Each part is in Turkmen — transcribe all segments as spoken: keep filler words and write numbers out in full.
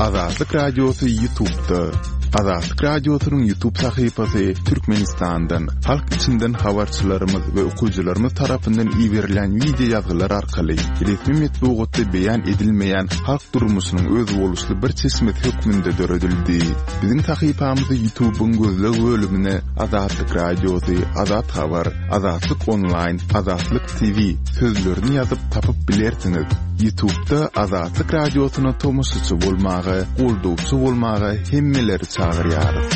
Azatlyk Radiosy YouTube'da. Azatlyk Radiosynyň YouTube sahypasy Türkmenistandan, halk içinden habarçylarymyz we okyjylarymyz tarapyndan iberilen wideo ýazgylar arkaly resmi metbugatda beýan edilmeýän halk durmuşynyň özboluşly bir çeşmesi hökmünde döredildi. Biziň sahypamyzy YouTube'yň gözleg bölümine Azatlyk Radiosy, Azat Habar, Azatlyk Online, Azatlyk T V sözlerini ýazyp tapyp bilersiňiz. YouTube'da Azatlyk Radiosyna tomaşaçy bolmaga, goldawçy bolmaga hemmeleri çagyrýarys.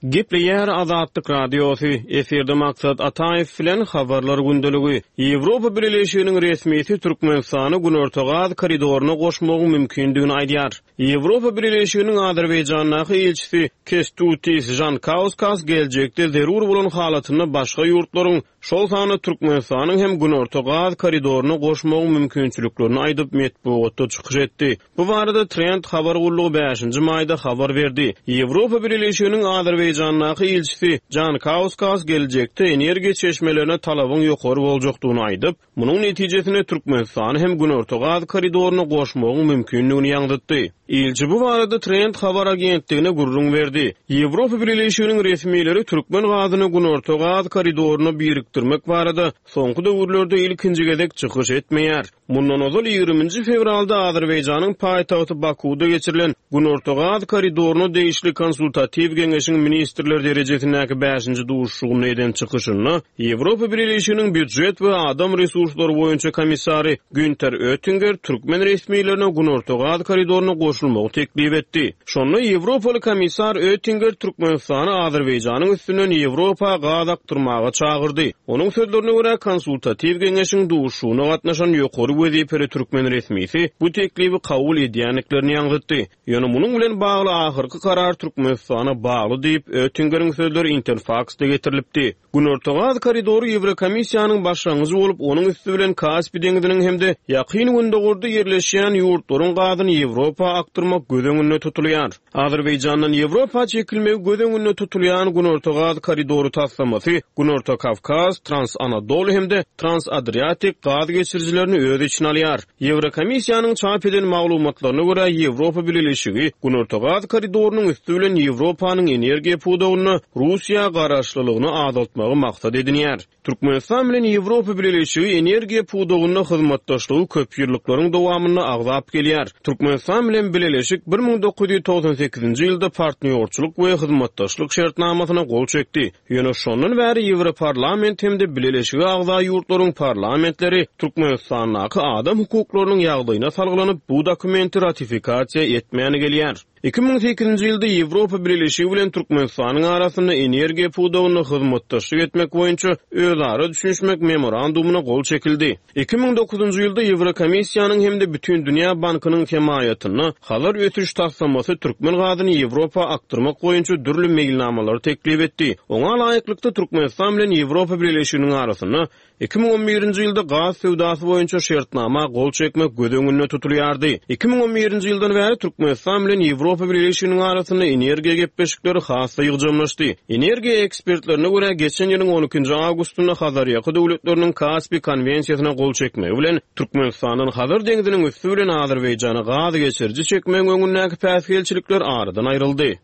Gepleýär Azatlyk Radiosy. Efirde Maksat Ataýew bilen habarlar gündeligi. Ýewropa Bileleşiginiň resmisi Türkmenistany Günorta gaz koridoryna goşmagyň mümkindigini aýdýar. Ýewropa Bileleşiginiň Azerbaýjandaky ilçisi Kestutis Jankauskas geljekde zerur bolan halatynda başga ýurtlaryň, şol sanda Türkmenistanyň hem Günorta gaz koridoryna goşmagyň mümkinçiliklerini aýdyp, metbugatda çykyş etdi. Bu barada Trend habar gullugy bäşinji maýda habar berdi. Ýewropa Bileleşiginiň Azerbaýjandaky ilçisi Jankauskas geljekde energiýa çeşmelerine talabyň ýokary boljakdygyny aýdyp, munuň netijesinde Türkmenistany hem Günorta gaz koridoryna goşmagyň mümkindigini ýaňzytdy. Ilçi bu barada Trend habar agentligine gürrüň berdi. Ýewropa Bileleşiginiň resmileri türkmen gazyny Günorta gaz koridoryna birikdirmek barada soňky döwürlerde ilkinji gezek çykyş etmeýär. Mundan ozal ýigriminji fewralda Azerbaýjanyň paýtagty Bakuda geçirilen Günorta gaz koridoryna degişli konsultatiw geňeşiň ministrler derejesindäki bäşinji duşuşygynda eden çykyşynda Ýewropa Bileleşiginiň býujet we adam resurslary boýunça komissary Günter Öttinger türkmen resmilerine Günorta gaz koridoryna goşulmagy teklip etdi. Şonda Ýewropaly komissar Öttinger Türkmenistany Azerbaýjanyň üstünden Ýewropa gaz akdyrmaga çagyrdy. Onuň sözlerine görä, konsultatiw geňeşiň duşuşygyna gatnaşan ýokary wezipeli türkmen resmisi bu teklibi kabul edýändiklerini ýaňzytdy. Ýöne munuň bilen bagly ahyrky karar Türkmenistana bagly diýip, Öttingeriň sözleri Interfaxda getirilipdi. Günorta gaz koridory Ýewrokomissiýanyň başlangyjy bolup, onuň üsti bilen Kaspi deňziniň hem-de Ýakyn Gündogarda ýerleşýän ýurtlaryň gazyny Ýewropa akdyrmak göz öňünde tutulýar. Azerbaýjandan Ýewropa çekilmegi göz öňünde tutulýan Günorta gaz koridory taslamasy Günorta Kawkaz, Trans Anadolu hem-de Trans Adriatik gaz geçirijilerini öz içine alýar. Ýewrokomissiýanyň çap eden maglumatlaryna görä, Ýewropa Bileleşigi Günorta gaz koridorynyň üsti bilen Ýewropanyň energiýa pudagynda Russiýa garaşlylygyny azaltmagy maksat edinýär. Türkmenistan bilen Ýewropa Bileleşigi energiýa pudagynda hyzmatdaşlygy köp ýyllyklaryň dowamynda agzap gelýär. Türkmenistan bilen Bileleşik bir müň dokuz ýüz togsan sekizinji ýylda partnýorçylyk we hyzmatdaşlyk şertnamasyna gol çekdi. Ýöne şondan bäri Ýewroparlament hem-de Bileleşige agza ýurtlaryň parlamentleri Türkmenistandaky adam hukuklarynyň ýagdaýyna salgylanyp, bu dokumenti ratifikasiýa etmäni gelýär. Iki müň sekizinji ýylda Ýewropa Bileleşigi bilen Türkmenistanyň arasynda energiýa pudagynda hyzmatdaşlyk etmek boýunça özara düşünişmek memorandumyna gol çekildi. Iki müň dokuzynjy ýylda Ýewrokomissiýanyň hem-de Bütindünýä bankynyň hemaýatynda Hazar ösüş taslamasy türkmen gazyny Ýewropa akdyrmak boýunça dürli meýilnamalary teklip etdi. Oňa laýyklykda Türkmenistan bilen Ýewropa Bileleşiginiň arasynda iki müň on birinji ýylda gaz söwdasy boýunça şertnama gol çekmek göz öňünde tutulýardy. Iki müň on birinji ýyldan bäri Türkmenistan bilen Ýewropa Bileleşiginiň arasynda energiýa gepleşikleri has-da ýygjamlaşdy. Energiýa ekspertlerine görä, geçen ýylyň on ikinji awgustynda Hazarýaka döwletleriniň Kaspi konwensiýasyna gol çekmegi bilen Türkmenistandan Hazar deňziniň üsti bilen Azerbaýjana gaz geçiriji çekmegiň öňündäki päsgelçilikler aradan aýryldy.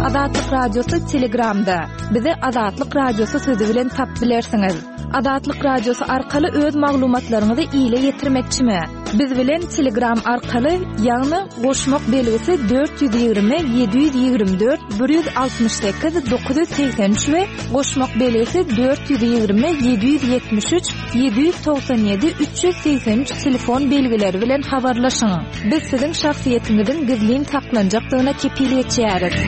Azatlyk Radiosy Telegramda. Bizi Azatlyk Radiosy sözü bilen tap bilersiňiz. Azatlyk Radiosy arkaly öz maglumatlaryňyzy ile ýetirmekçimi? Biz bilen Telegram arkaly, ýagny goşmak belgisi dört ýüz ýigrimi ýedi ýüz ýigrimi dört bir ýüz altmyş sekiz dokuz ýüz segsen üç we goşmak belgisi dört ýüz ýigrimi ýedi ýüz ýetmiş üç ýedi ýüz togsan ýedi üç ýüz segsen üç telefon belgileri bilen habarlaşyň. Biz siziň şahsyýetiňiziň gizlin saklanjakdygyna kepil geçýäris.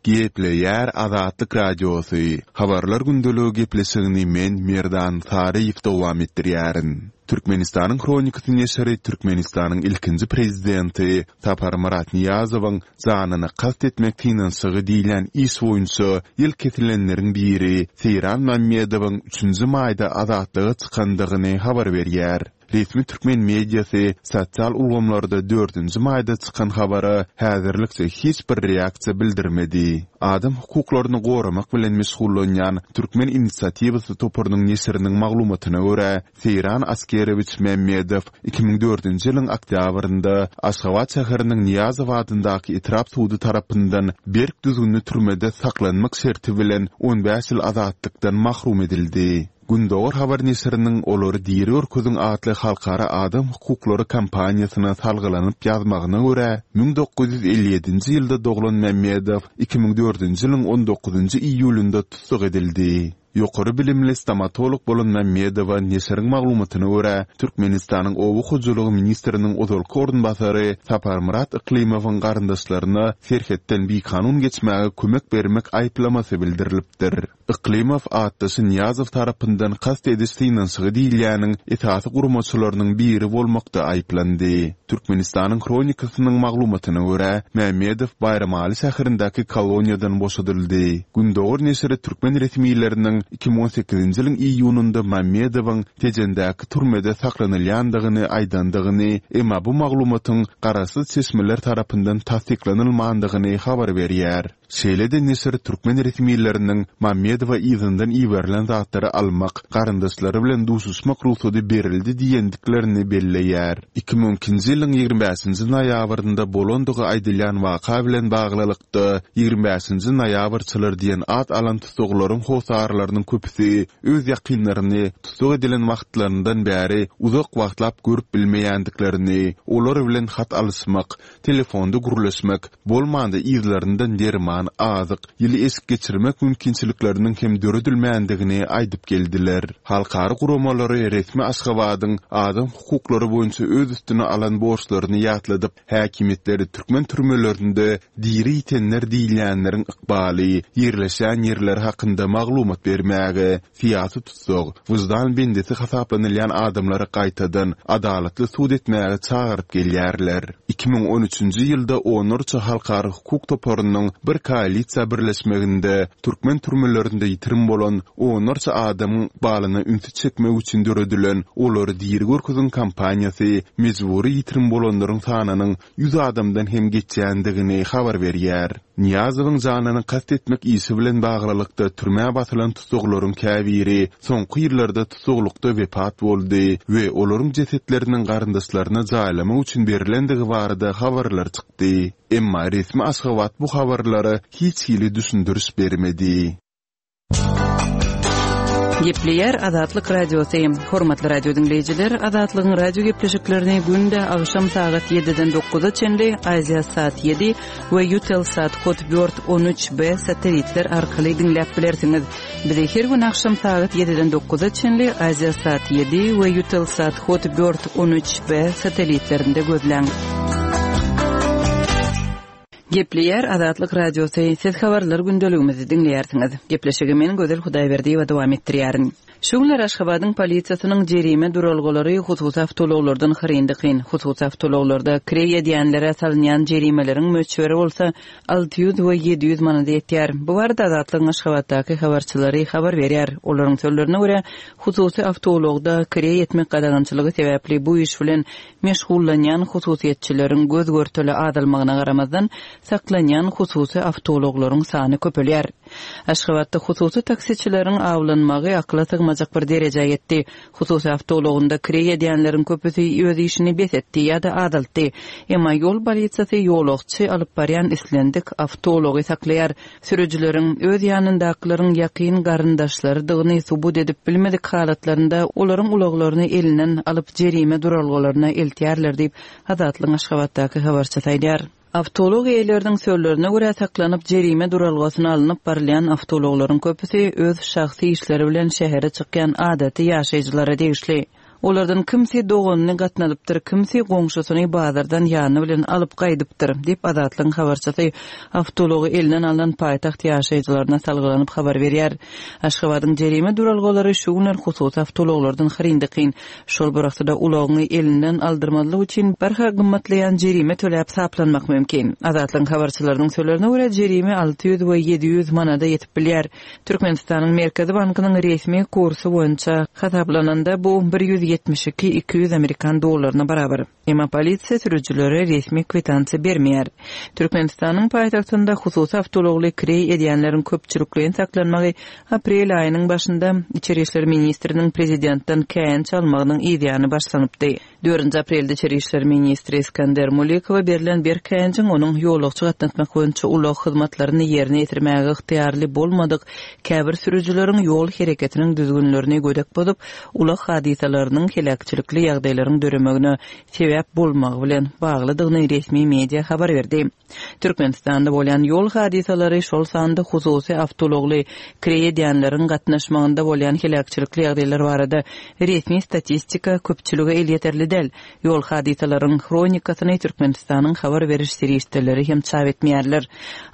Gepleýär Azatlyk Radiosy. Habarlar gündeligi gepleşigini men Merdan Saryýew dowam etdirýärin. Türkmenistanyň Hronikasy neşiri Türkmenistanyň ilkinji prezidenti Saparmyrat Nyýazowyň janyna kast etmek synanyşygy diýilýän iş boýunça ýyl kesilenleriň biri Seýran Mämmedowyň üçünji maýda azatlyga çykandygyny habar berýär. Resmi türkmen mediasy sosial ulgamlarda dördünji maýda çykan habara häzirlikçe hiç bir reaksiýa bildirmedi. Adam hukuklaryny goramak bilen meşgullanýan Türkmen inisiatiwasy toparynyň neşiriniň maglumatyna görä, Seýran Askerowiç Mämmedow iki müň dördünji ýylyň oktýabrynda Aşgabat şäheriniň Nyýazow adyndaky etrap sudy tarapyndan berk düzgünli türmede saklanmak şerti bilen on bäş ýyl azatlykdan mahrum edildi. Gündogar habar neşiriniň Olary diri görkeziň atly halkara adam hukuklary kampaniýasyna salgylanyp ýazmagyna görä, müň dokuz ýüz elli ýedinji ýylda doglan Mämmedow iki müň dördünji ýylyň on dokuzynjy iýulynda tussag edildi. Ýokary bilimli stomatolog bolan Mämmedowa neşiriň maglumatyna görä, Türkmenistanyň Oba hojalygy ministriniň ozalky orunbasary Saparmyrat Yklymowyň garyndaşlaryna serhetden bikanun geçmäge kömek bermek aýyplamasy bildirilipdir. Yklymow atdaşy Nyýazow tarapyndan kast ediş synanyşygy diýilýäniň esasy guramaçylarynyň biri bolmakda aýyplandy. Türkmenistanyň Hronikasynyň maglumatyna görä, Mämmedow Baýramaly şäherindäki koloniýadan boşadyldy. Gündogar neşiri türkmen resmileriniň iki müň on sekizinji ýylyň iýunynda Mämmedowyň Tejendäki türmede saklanylýandygyny aýdandygyny, emma bu maglumatyň garaşsyz çeşmeler tarapyndan tassyklanylmandygyny habar berýär. Şeýle-de neşir türkmen resmileriniň Mämmedowa yzyndan iberilen zatlary almak, garyndaşlary bilen duşuşmak rugsady berildi diýendiklerini belleýär. Iki müň ikinji ýylyň ýigrimi bäşinji noýabrynda bolandygy aýdylýan waka bilen baglylykda ýigrimi bäşinji noýabrçylar diýen at alan tussaglaryň hossarlarynyň köpüsi öz ýakynlaryny tussag edilen wagtlaryndan bäri uzak wagtlap görüp bilmeýändiklerini, olar bilen hat alyşmak, telefonda gürleşmek, bolmanda yzlaryndan derman, azyk, ýyly eşik geçirmek mümkinçilikleriniň hem döredilmändigini aýdyp geldiler. Halkara guramalary resmi Aşgabadyň adam hukuklary boýunça öz üstüne alan borçlaryny ýatladyp, häkimiýetleri türkmen türmelerinde diri ýitenler diýilýänleriň ykbaly, ýerleşýän ýerleri hakynda maglumat bermäge, syýasy tussag, wyždan bendisi hasaplanylýan adamlary gaýtadan adalatly sud etmäge çagyryp gelýärler. Iki müň on üçünji ýylda onlarça halkara hukuk toparynyň bir koalisiýa birleşmeginde türkmen türmelerinde ýitirim bolan onlarça adamyň ykbalyna ünsi çekmek üçin döredilen Olary diri görkeziň kampaniýasy mejbury ýitirim bolanlaryň sanynyň ýüz adamdan hem geçýändigini habar berýär. Nyýazowyň janyny kast etmek işi bilen baglylykda türmä basylan tussaglaryň käbiri soňky ýyllarda tussaglykda wepat boldy we olaryň jesetleriniň garyndaşlaryna jaýlamak üçin berlendigi barada habarlar çykdy. Emma resmi Aşgabat bu habarlara hiç hili düşündiriş bermedi. Gepleýär Azatlyk Radiosy. Hormatly radio diňleýjiler, Azatlygyň radio gepleşiklerini günde agşam sagat ýediden dokuza çenli Aziýa saat ýedi we Eutelsat Hotbird on üç B satelitler arkaly diňläp bilersiňiz. Bizi her gün agşam sagat ýediden dokuza çenli Aziýa saat ýedi we Eutelsat Hotbird on üç B satelitlerinde gözläň. Gepleýär Azatlyk Radiosy. Siz habarlar gündeligimizi diňleýärsiňiz. Gepleşigi men Gözel Hudaýberdiýewa dowam etdirýärin. Şu günler Aşgabadyň polisiýasynyň jerime duralgalary hususy awtoulaglardan hyryndy-kyn. Hususy awtoulaglarda kireý edýänlere salynýan jerimeleriň möçberi bolsa alty ýüz we ýedi ýüz manada ýetýär. Bu barada Azatlygyň Aşgabatdaky habarçylary habar berýär. Olaryň sözlerine görä, hususy awtoulagda kireý etmek gadagançylygy sebäpli bu iş bilen meşgullanýan hususyýetçileriň göz görteli azalmagyna garamazdan saklanýan hususy awtoulaglaryň sany köpelýär. Aşgabatda hususy taksiçileriň awlanmagy akyla sygmajak bir derejä ýetdi. Hususy awtoulagynda kireý edýänleriň köpüsi öz işini bes etdi ýa-da azaltdy. Emma ýol polisiýasy ýolagçy alyp barýan islendik awtoulagy saklaýar. Sürüjileriň öz ýanyndakylaryň ýakyn garyndaşlarydygyny subut edip bilmedik halatlarynda olaryň ulaglaryny elinden alyp jerime duralgalaryna eltýärler diýip Azatlygyň Aşgabatdaky habarçysy aýdýar. Awtoulag eýeleriniň sözlerine görä saklanyp jerime duralgasyna alnyp barylýan awtoulaglaryň köpüsi öz şahsy işleri bilen şähere çykýan adaty ýaşaýjylara degişli. Olardan kimsi doganyny gatnadypdyr, kimsi goňşusyny bazardan ýany bilen alyp gaýdypdyr diýip Azatlygyň habarçysy awtoulagy elinden alan paýtagt ýaşaýjylaryna salgylanyp habar berýär. Aşgabadyň jerime duralgalary şu günler hususy awtoulaglardan hyryndy-kyn. Şol bir wagtda ulagyňy elinden aldyrmazlyk üçin barha gymmatlaýan jerime töläp saplanmak mümkin. Azatlygyň habarçylarynyň sözlerine görä jerime alty ýüz we ýedi ýüz manada ýetip bilýär. Türkmenistanyň Merkezi bankynyň resmi kursy boýunça hasaplananda bu bir ýüz ýüz ýetmiş iki iki ýüz amerikan dollaryna barabar. Emma polisiýa sürüjilere resmi kwitansiýa bermeýär. Türkmenistanyň paýtagtynda hususy awtoulagly kireý edýänleriň köpçülikleýin saklanmagy aprel aýynyň başynda Içeri işler ministriniň prezidentden käýinç almagynyň yzýany başlanypdy. Dördünji aprelde Içeri işler ministri Iskender Mulikowa berlen berk käýinjiň onuň ýolagçy gatnatmak boýunça ulag hyzmatlaryny ýerine ýetirmäge ygtyýarly bolmadyk käbir sürüjileriň ýol hereketiniň düzgünlerini gödek bozup, ulag hadysalarynyň heläkçilikli ýagdaýlaryň döremegine sebäp bolmagy bilen baglydygyny resmi media habar berdi. Türkmenistanda bolýan ýol hadysalary, şol sanda hususy awtoulagly kireý edýänleriň gatnaşmagynda bolýan heläkçilikli ýagdaýlar barada resmi statistika köpçülige elýeterli däl. Ýol hadysalaryň hronikasyny Türkmenistanyň habar beriş serişdeleri hem çap etmeýärler.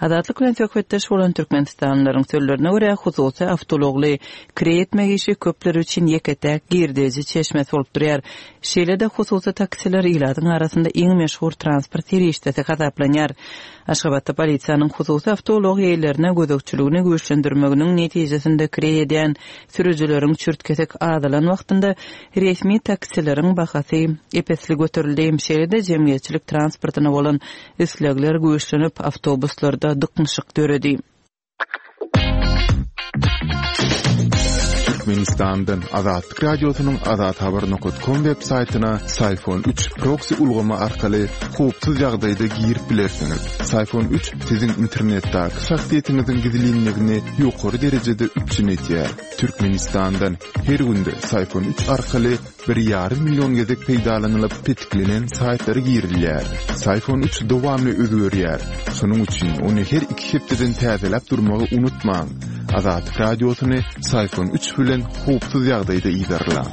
Azatlyk bilen söhbetdeş bolan türkmenistanlylaryň sözlerine görä, hususy awtoulagly kireý etmek işi köpler üçin ýeke-täk girdeji çeşmesi bolup durýar. Şeýle-de hususy taksiler ilatyň arasynda iň meşhur transport serişdesi hasaplanýar. Aşgabatda polisiýanyň hususy awtoulag eýelerine gözegçiligini güýçlendirmeginiň netijesinde kireý edýän sürüjileriň çürt-kesik azalan wagtynda resmi taksileriň bahasy ep-esli göterildi. Şeýle-de jemgyýetçilik transportyna bolan islegler güýçlenip, awtobuslarda dyknyşyk döredi. Türkmenistandan Azatlyk Radiosynyň azathabar nokta com web saýtyna Syfon üç proksi ulgamy arkaly howpsuz ýagdaýda girip bilersiňiz. Syfon üç siziň internetdäki şahsyýetiňiziň gizlinligini ýokary derejede üpjün edýär. Türkmenistandan her günde Syfon üç arkaly bir ýarym million gezek peýdalanylyp petiklenen saýtlara girilýär. Syfon üç dowamly özgerýär. Şonuň üçin ony her iki hepdeden täzeläp durmagy unutmaň. Azatlyk Radiosyny Syfon üç bilen howpsuz ýagdaýda yzarlaň.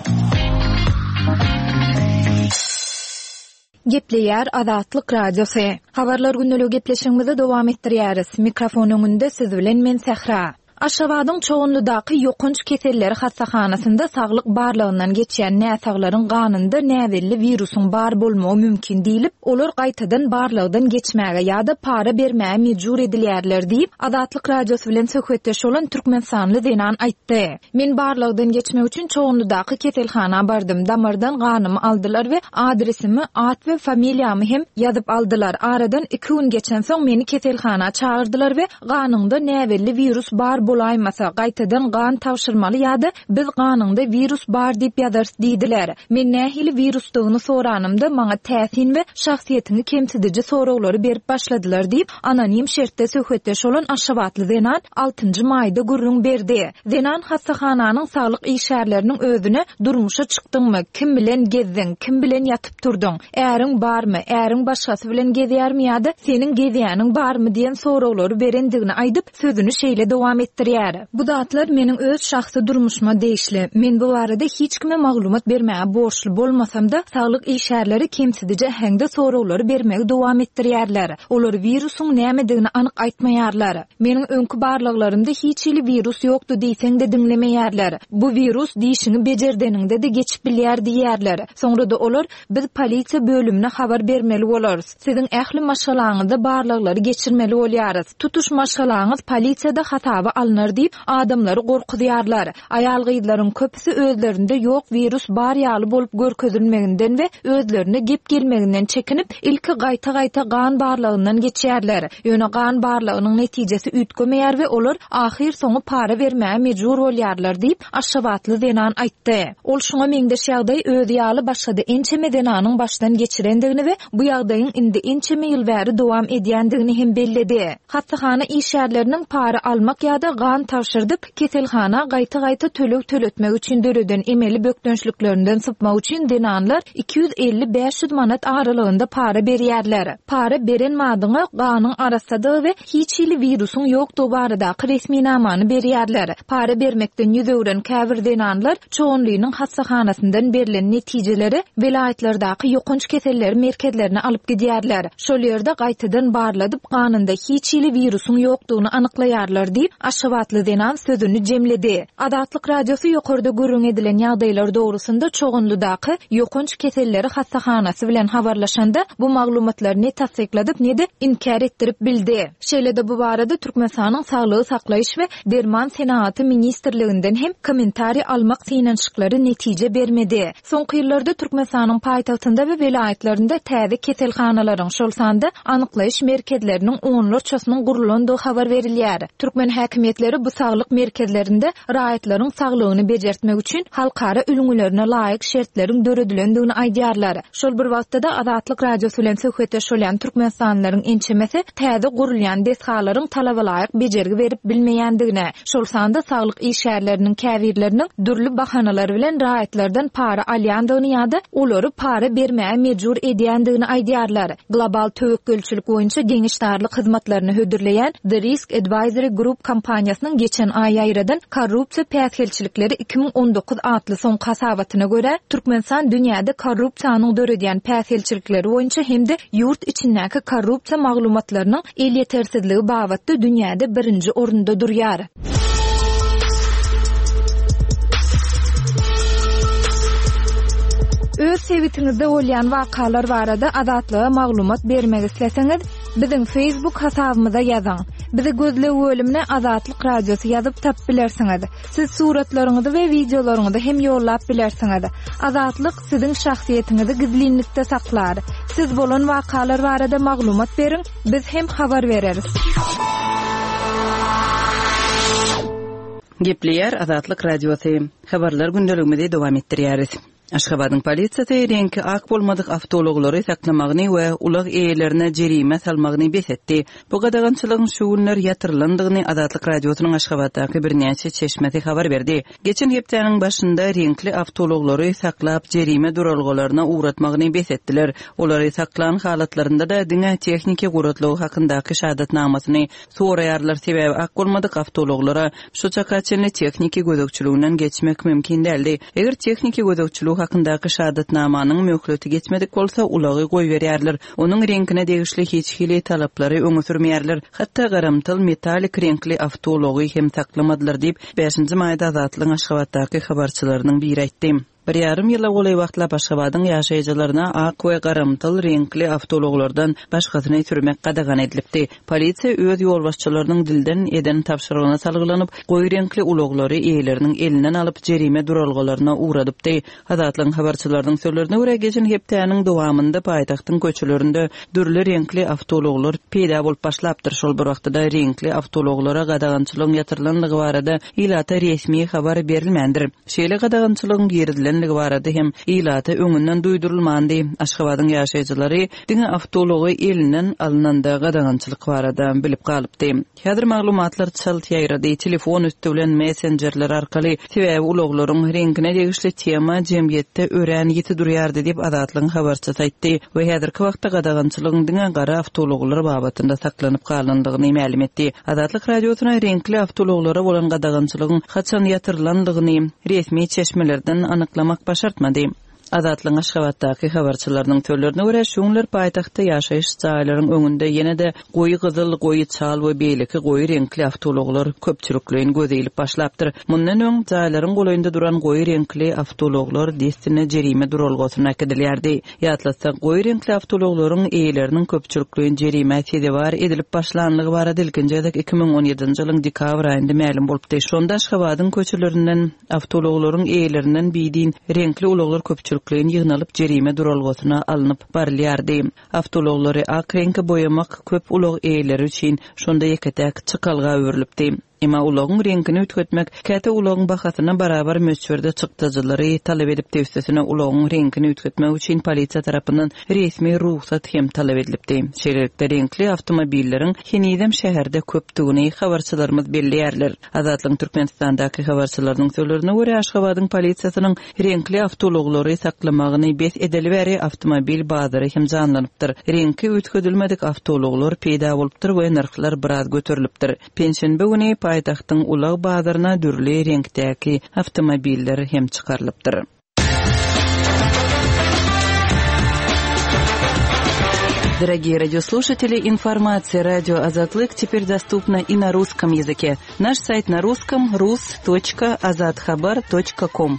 Gepleýär Azatlyk Radiosy. Habarlar gündeligi gepleşigimizi dowam etdirýäris. Mikrofon öňünde siz bilen men Sähra. Aşgabadyň Çoganlydaky ýokanç keselleri hassahanasynda saglyk barlagyndan geçýän näsaglaryň ganynda näbelli wirusyň bar bolmagy mümkin diýlip, olar gaýtadan barlagdan geçmäge ýa-da para bermäge mejbur edilýärler diýip, Azatlyk Radiosy bilen söhbetdeş bolan türkmenistanly zenan aýtdy. Men barlagdan geçmek üçin Çoganlydaky keselhana bardym. Damardan ganymy aldylar we adresimi, at we familiýamy hem ýazyp aldylar. Aradan iki gün geçen soň meni keselhana çagyrdylar we ganyňda näbelli wirus bar bolaýmasa, gaýtadan gan tabşyrmaly ýa-da biz ganyňda wirus bar diýip ýazarys diýdiler. Men nähili wirusdygyny soranymda maňa täsin we şahsyýetiňi kemsidiji soraglary berip başladylar diýip, anonim şertde söhbetdeş bolan Aşgabatly zenan altynjy maýda gürrüň berdi. Zenan hassahananyň saglyk işgärleriniň özüne durmuşa çykdyňmy, kim bilen gezdiň, kim bilen ýatyp turduň, äriň barmy, äriň başgasy bilen gezýärmi ýa-da seniň gezýäniň barmy diýen soraglary berendigini aýdyp, sözüni şeýle dowam etdirýär. Bu zatlar meniň öz şahsy durmuşyma degişli. Men bu barada hiç kime maglumat bermäge borçly bolmasam-da, saglyk işgärleri kemsidiji äheňde soraglary bermegi dowam etdirýärler. Olar wirusyň nämedigini anyk aýtmaýarlar. Meniň öňki barlaglarymda hiç hili wirus ýokdy diýseň-de diňlemeýärler. Bu wirus dişiňi bejerdeniňde-de geçip bilýär diýýärler. Soňra-da olar biz polisiýa bölümine habar bermeli bolarys. Siziň ähli maşgalaňyzda barlaglary geçirmeli bolýarys. Tutuş maşgalaňyz polisiýada hasaba alnar diýip adamlary gorkuzýarlar. Aýal-gyzlaryň köpüsi özlerinde ýok wirus bar ýaly bolup görkezilmeginden we özlerine gep gelmeginden çekinip, ilki gaýta-gaýta gan barlagyndan geçýärler. Ýöne gan barlagynyň netijesi üýtgemeýär we olar ahyr soňy para bermäge mejbur bolýarlar diýip Aşgabatly zenan aýtdy. Ol şoňa meňzeş ýagdaý özi ýaly başga-da ençeme zenanyň başdan geçirendigini we bu ýagdaýyň indi ençeme ýyl bäri dowam edýändigini hem belledi. Hassahana işgärleriniň para almak ýa-da gan tabşyrdyp, keselhana gaýta-gaýta töleg töletmek üçin döreden emeli bökdençliklerinden sypmak üçin zenanlar iki ýüz elli bäş ýüz manat aralygynda para berýärler. Para beren madyňa ganyň arassadygy we hiç hili wirusyň ýokdugy baradaky resminamany berýärler. Para bermekden ýüz öwren käbir zenanlar Çoganlynyň hassahanasyndan berlen netijeleri welaýatlardaky ýokanç keselleri merkezlerine alyp gidýärler. Şol ýerde gaýtadan barladyp, ganynda hiç hili wirusyň ýokdugyny anyklaýarlar diýip, aşgabatly zenan sözüni jemledi. Azatlyk Radiosy ýokarda gürrüň edilen ýagdaýlar dogrusynda Çoganlydaky ýokanç keselleri hassahanasy bilen habarlaşanda bu maglumatlary ne tassykladyp ne-de inkär etdirip bildi. Şeýle-de bu barada Türkmenistanyň Saglygy saklaýyş we derman senagaty ministrliginden hem kommentariý almak synanyşyklary netije bermedi. Soňky ýyllarda Türkmenistanyň paýtagtynda we welaýatlarynda täze keselhanalaryň, şol sanda anyklaýyş merkezleriniň onlarçasynyň gurlandygy habar berilýär. Türkmen häkimiýetleri bu saglyk merkezlerinde raýatlaryň saglygyny bejertmek üçin halkara ülňülerine laýyk şertleriň döredilendigini aýdýarlar. Şol bir wagtda-da Azatlyk Radiosy bilen söhbetdeş bolýan türkmenistanlylaryň ençemesi täze gurulýan desgalaryň talaba laýyk bejergi berip bilmeýändigini, şol sanda saglyk işgärleriniň käbirleriniň dürli bahanalar bilen raýatlardan para alýandygyny ýa-da olary para bermäge mejbur edýändigini aýdýarlar. Global töwekgelçilik boýunça geňeşdarlyk hyzmatlaryny hödürleýän The Risk Advisory Group kompaniýasynyň geçen aý ýaýradan Korrupsiýa päsgelçilikleri iki müň on dokuz atly soňky hasabatyna görä, Türkmenistan dünýäde korrupsiýanyň döredýän päsgelçilikleri boýunça hem-de ýurt içindäki korrupsiýa maglumatlarynyň elýetersizligi babatda dünýäde birinji orunda durýar. Öz sebitiňizde bolýan wakalar barada Azatlyga maglumat bermek isleseňiz, biziň Facebook hasabymyza ýazyň. Bizi gözleg bölümine Azatlyk Radiosy ýazyp tapyp bilersiňiz. Siz suratlaryňyzy we wideolaryňyzy hem ýollap bilersiňiz. Azatlyk siziň şahsyýetiňizi gizlinlikde saklar. Siz bolan wakalar barada maglumat beriň, biz hem habar bereris. Gepleýär Azatlyk Radiosy. Habarlar gündeligimizi dowam etdirýäris. Aşgabadyň polisiýasy reňki ak bolmadyk awtoulaglary saklamagyny we ulag eýelerine jerime salmagyny bes etdi. Bu gadagançylygyň şu günler ýatyrylandygyny Azatlyk Radiosynyň Aşgabatdaky birnäçe çeşmesi habar berdi. Geçen hepdäniň başynda reňkli awtoulaglary saklap jerime duralgalaryna ugratmagyny bes etdiler. Olary saklan halatlarynda-da diňe tehniki guratlygy hakyndaky şahadatnamasyny soraýarlar, sebäbi ak bolmadyk awtoulaglara şu çaka çenli tehniki gözegçiliginden geçmek mümkin däldi. Eger tehniki gözegçiligi hakyndaky şahadatnamanyň möhleti geçmedik bolsa, ulagy goýberýärler. Onuň reňkine degişli hiç hili talaplary öňe sürmeýärler. Hatda garamtyl metalik reňkli awtoulagy hem saklamadylar diýip, bäşinji maýda Azatlygyň Aşgabatdaky habarçylarynyň biri aýtdy. Bir ýarym ýyla golaý wagtlap Aşgabadyň ýaşaýjylaryna ak we garamtyl reňkli awtoulaglardan başgasyny sürmek gadagan edilipdi. Polisiýa öz ýolbaşçylarynyň dilden eden tabşyrygyna salgylanyp, goýy reňkli ulaglary eýeleriniň elinden alyp jerime duralgalaryna ugradypdy. Azatlygyň habarçylarynyň sözlerine görä, geçen hepdäniň dowamynda paýtagtyň köçelerinde dürli reňkli awtoulaglar peýda bolup başlapdyr. Şol bir wagtda reňkli awtoulaglara gadagançylygyň ýatyrylandygy barada ilata resmi habar berilmändir. Şeýle gadagançylygyň girizilenligi barada hem ilata öňünden duýdurylmandy. Aşgabadyň ýaşaýjylary diňe awtoulagy elinden alynanda gadagançylyk barada bilip galypdy. Häzir maglumatlar çalt ýaýrady, telefon üsti bilen messenjerler arkaly, sebäbi ulaglaryň reňkine degişli tema jemgyýetde örän ýiti durýardy diýip Azatlygyň habarçysy aýtdy we häzirki wagtda gadagançylygyň diňe gara awtoulaglar babatynda saklanyp galandygyny mälim etdi. Azatlyk Radiosyna reňkli awtoulaglara bolan gadagançylygyň haçan ýatyrylandygyny resmi çeşmelerden anyklamak başartmady. Azatlygyň Aşgabatdaky habarçylarynyň sözlerine görä, şu günler paýtagtda ýaşaýyş jaýlaryň öňünde ýene-de goýy gyzyl, goýy çal we beýleki goýy reňkli awtoulaglar köpçülikleýin göz ilip başlapdyr. Mundan öň jaýlaryň golaýynda duran goýy reňkli awtoulaglar dessine jerime duralgasyna äkidilýärdi. Ýatlatsak, goýy reňkli awtoulaglaryň eýeleriniň köpçülikleýin jerime sezewar edilip başlanlygy barada ilkinji gezek iki müň on ýedinji ýylyň dekabr aýynda mälim bolupdy. Şonda Aşgabadyň köçelerinden awtoulaglaryň eýelerinden bidin reňkli ulaglar köpçülikleýin ýygnalyp jerime duralgasyna alnyp barylýardy. Awtoulaglary ak reňke boýamak köp ulag eýeleri üçin şonda ýeke-täk çykalga öwrülipdi. Emma ulagyň reňkini üýtgetmek käte ulagyň bahasyna barabar möçberde çykdajylary talap edipdi. Üstesine ulagyň reňkini üýtgetmek üçin polisiýa tarapyndan resmi rugsat hem talap edilipdi. Şeýlelikde reňkli awtomobilleriň henizem şäherde köpdügini habarçylarymyz belleýärler. Azatlygyň Türkmenistandaky habarçylarynyň sözlerine görä, Aşgabadyň polisiýasynyň reňkli awtoulaglary saklamagyny bes edeli bäri awtomobil bazary hem janlanypdyr. Reňki üýtgedilmedik awtoulaglar peýda bolupdyr we nyrhlar biraz göterilipdir. Penşenbe güni paýtagtyň ulag bazaryna dürli reňkdäki awtomobiller hem çykarylypdyr. Дорогие радиослушатели, информация радио Азатлык теперь доступна и на русском языке. Наш сайт на русском rus.azathabar.com.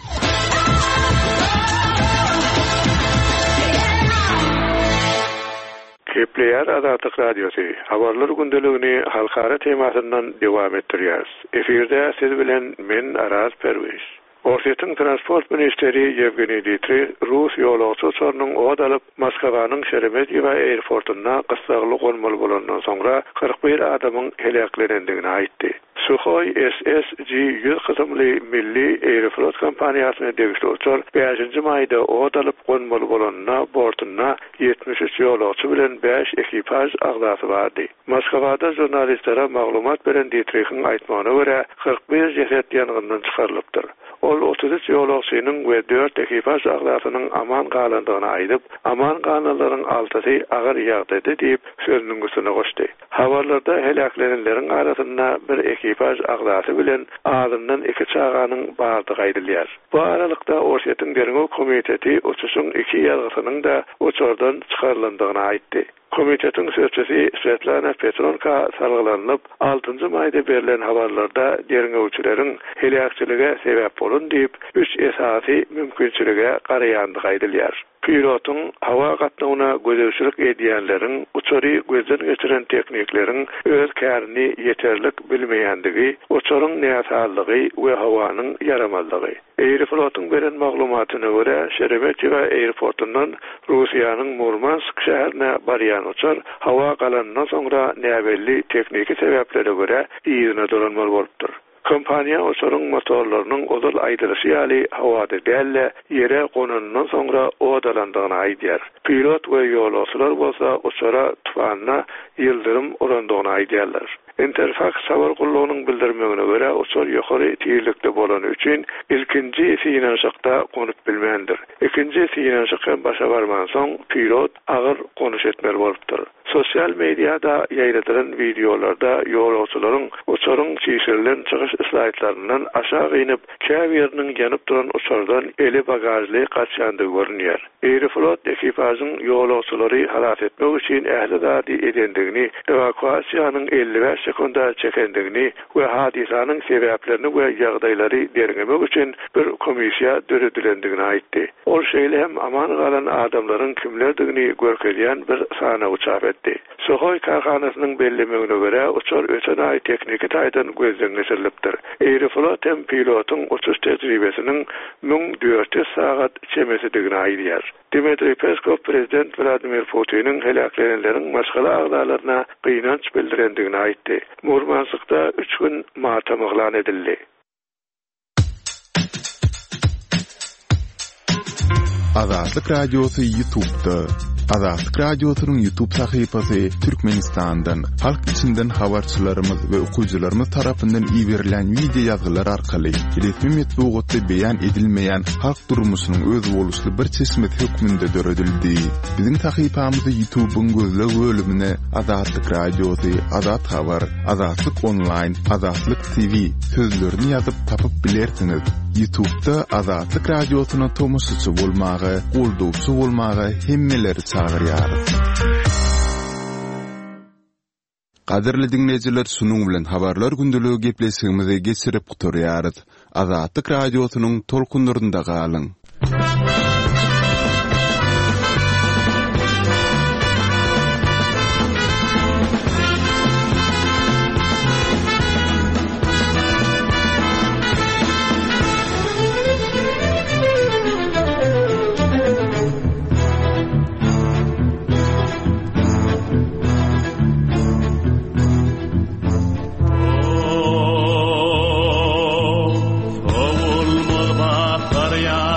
Gepleýär Azatlyk Radiosy. Habarlar gündeligini halkara temasyndan dowam etdirýäris. Efirde siz bilen men Araz Perwiz. Orsýetiň transport ministeri Ýewgeniý Ditrih Rus ýolagçy uçarynyň od alyp Moskwanyň Şeremetýewo aeroportunda gyssagly gonmaly bolandan soňra kyrk bir adamyň heläklenendigini aýtdy. Sukhoi S S G ýüz kysymly milli Aeroflot kompaniýasyna degişli uçar bäşinji maýda od alyp gonmaly bolanyna bortunda ýetmiş üç ýolagçy bilen bäş ekipaž agzasy bardy. Moskwada žurnalistlere maglumat beren Ditrihiň aýtmagyna görä kyrk bir jeset ýangyndan çykarylypdyr. Ol otuz üç ýolagçynyň we dört ekipaž agzasynyň aman galandygyny aýdyp, aman galanlaryň altysy agyr ýagdaýda diýip sözüniň üstüne goşdy. Habarlarda heläklenenleriň arasynda bir ekipaž agzasy bilen azyndan iki çaganyň bardygy aýdylýar. Bu aralykda Orsýetiň Derňew komiteti uçuşyň iki ýazgysynyň da uçardan çykarylandygyny aýtdy. Komitetiň sözçüsi Svetlana Petronka salgylanyp, altynjy maýda berlen habarlarda derňewçileriň heläkçilige sebäp bolan diýip, üç esasy mümkinçilige garaýandygy aýdylýar. Pilotyň hawa gatnawyna gözegçilik edýänleriň, uçary gözden geçiren teknikleriň öz kärini ýeterlik bilmeýändigi, uçaryň näsazlygy we howanyň ýaramazlygy. Aeroflotyň beren maglumatyna görä, Şeremetýewo aeroportundan Russiýanyň Murmansk şäherine barýan uçar hawa galanyndan soňra näbelli tehniki sebäplere görä yzyna dolanmaly bolupdyr. Kompaniýa uçaryň motorlarynyň ozal aýdylyşy ýaly howada däl-de ýere gonanyndan soňra od alandygyny aýdýar. Pilot we ýolagçylar bolsa uçara tufanda ýyldyrym urandygyny aýdýarlar. Interfax habar gullugynyň bildirmegine görä uçar ýokary tizlikde bolany üçin ilkinji synanyşykda gonup bilmändir. Ikinji synanyşyk hem başa barman soň pilot agyr gonuş etmeli bolupdyr. Sosyal medyada ýaýradylan wideolarda ýolagçylaryň uçaryň çişirilen çykyş slaýdlaryndan aşağı inip, käbiriniň ýanyp duran uçardan eli bagajly gaçýandygy görünýär. Aeroflot ekipažyň ýolagçylary halas etmek üçin ähli zady edendigini, ewakuasiýanyň elli bäş sekunda çekendigini we hadysanyň sebäplerini we ýagdaýlary derňemek üçin bir komissiýa döredilendigini aýtdy. Ol şeýle hem aman galan adamlaryň kimlerdigini görkezýän bir sanawy çap etdi. Sukhoi kärhanasynyň bellemegine görä uçar öten aý tehniki taýdan gözden geçirilipdir. Aeroflot hem pilotyň uçuş tejribesiniň müň dört ýüz sagat çemesidigini aýdýar. Dmitriý Peskov prezident Vladimir Putiniň heläklenenleriň maşgala agzalaryna gynanç bildirendigini aýtdy. Murmanskda üç gün matam yglan edildi. Azatlyk Radiosy YouTube'da. Azatlyk Radiosynyň YouTube sahypasy Türkmenistandan, halk içinden habarçylarymyz we okyjylarymyz tarapyndan iberilen video ýazgylar arkaly resmi metbugatda beýan edilmeýän halk durmuşynyň özboluşly bir çeşmesi hökmünde döredildi. Biziň sahypamyzy YouTube'yň gözleg bölümine Azatlyk Radiosy, Azat Habar, Azatlyk Online, Azatlyk T V sözlerini ýazyp tapyp bilersiňiz. YouTube'da Azatlyk Radiosyna tomaşaçy bolmagy, goldawçy bolmagy hemmeleri çagyrýarys. Gadyrly dinleýjiler, şunuň bilen habarlar gündeligi gepleşigimizi geçirip gutarýarys. Azatlyk Radiosynyň tolkunlarynda galyň. Sowulmaz bahar.